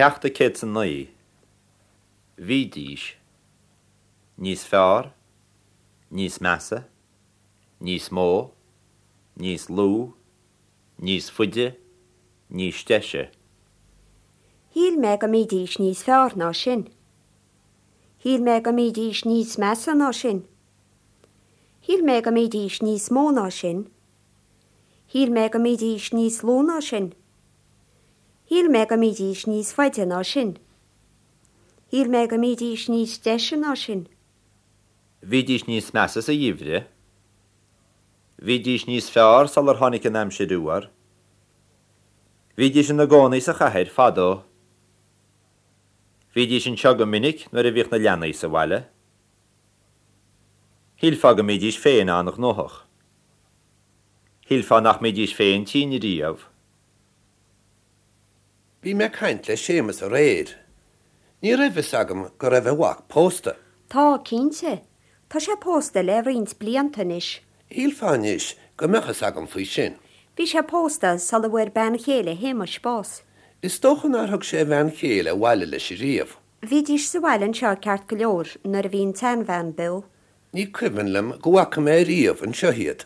Ceacht 109. Bhídís. Níos fearr. Níos measa. Níos mó. Níos lú. Níos faide. Níos deise. Shíl mé go mbídís níos fearr ná sin. Shíl mé go mbídís níos measa ná sin. Shíl mé go mbídís níos mó ná sin. Shíl mé go mbídís níos lú ná sin. Shíl mé go mbídís níos faide ná sin. Shíl mé go mbídís níos deise ná sin. Bhídís níos measa sa gheimhreadh. Bhídís níos fearr sular tháinig an aimsir fhuar. Bhídís ina gcónaí sa chathair fadó. Bhídís anseo go minic nuair a bhíodh na leanaí sa bhaile. Shílfeá go mbídís féin an-ghnóthach. Shílfeá nach mbídís féin tinn riamh. Bhí mé ag caint le Séamus aréir. Ní raibh fhios agam go raibh a mhac pósta. Tá, cinnte. Tá sé pósta le roinnt blianta anois. Shílfeá anois go mbeadh fhios agam faoi sin. Bhí sé pósta sula bhfuair bean chéile Shéamais bás. Is dócha nár thug sé a bhean chéile abhaile leis ariamh. Bhídís sa bhaile anseo ceart go leor nuair a bhí an tseanbhean beo. Ní cuimhin liom go bhfaca mé ariamh anseo iad.